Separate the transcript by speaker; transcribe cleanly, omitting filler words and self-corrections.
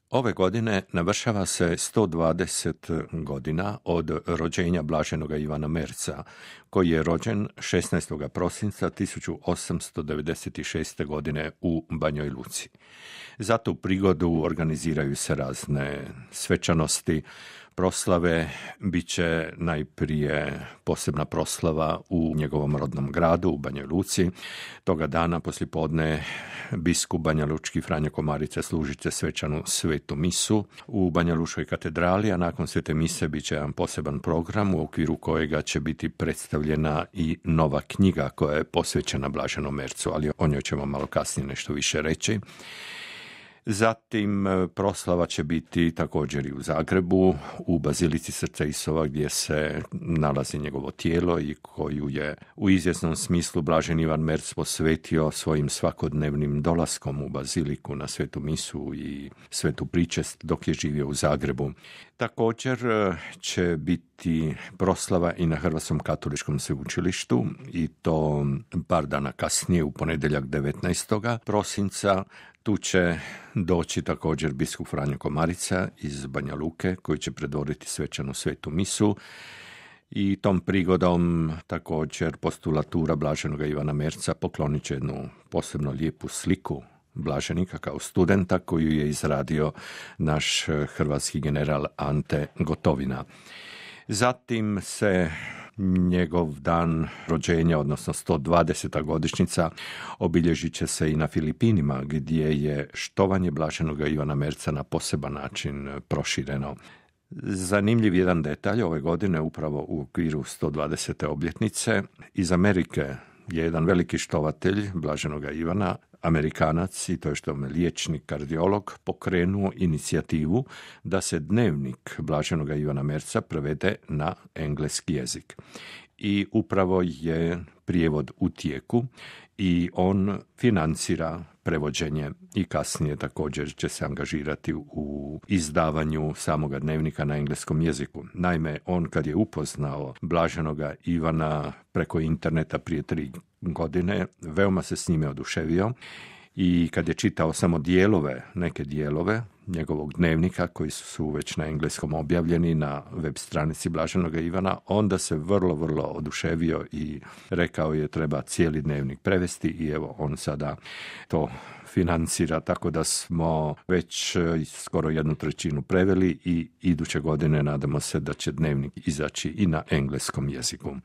Speaker 1: Ove godine navršava se 120 godina od rođenja blaženoga Ivana Merza, koji je rođen 16. prosinca 1896. godine u Banjoj Luci. Za tu prigodu organiziraju se razne svečanosti, proslave. Biće najprije posebna proslava u njegovom rodnom gradu, u Banjoj Luci. Toga dana poslijepodne biskup banjalučki Franjo Komarica služit će svečanu svetu misu u Banjalučkoj katedrali, a nakon svete mise bit će jedan poseban program u okviru kojega će biti predstavljena i nova knjiga koja je posvećena blaženom Merzu, ali o njoj ćemo malo kasnije nešto više reći. Zatim proslava će biti također i u Zagrebu, u Bazilici Srca Isova, gdje se nalazi njegovo tijelo i koju je u izvjesnom smislu blaženi Ivan Merz posvetio svojim svakodnevnim dolaskom u Baziliku na svetu misu i svetu pričest dok je živio u Zagrebu. Također će biti proslava i na Hrvatskom katoličkom sveučilištu i to par dana kasnije, u ponedjeljak 19. prosinca. Tu će doći također biskup Franjo Komarica iz Banja Luke, koji će predvoditi svečanu svetu misu i tom prigodom također postulatura blaženoga Ivana Merza poklonit će jednu posebno lijepu sliku blaženika kao studenta koju je izradio naš hrvatski general Ante Gotovina. Zatim se njegov dan rođenja, odnosno 120. godišnjica, obilježit će se i na Filipinima, gdje je štovanje blaženoga Ivana Merza na poseban način prošireno. Zanimljiv jedan detalj ove godine, upravo u okviru 120. obljetnice, iz Amerike je jedan veliki štovatelj blaženoga Ivana, Amerikanac, i to je liječnik, kardiolog, pokrenuo inicijativu da se dnevnik blaženoga Ivana Merza prevede na engleski jezik. I upravo je prijevod u tijeku i on financira prevođenje i kasnije također će se angažirati u izdavanju samoga dnevnika na engleskom jeziku. Naime, on kad je upoznao blaženoga Ivana preko interneta prije 3 godine, veoma se s njime oduševio i kad je čitao samo neke dijelove njegovog dnevnika koji su već na engleskom objavljeni na web stranici blaženoga Ivana, onda se vrlo, vrlo oduševio i rekao je treba cijeli dnevnik prevesti i evo on sada to financira, tako da smo već skoro 1/3 preveli i iduće godine nadamo se da će dnevnik izaći i na engleskom jeziku.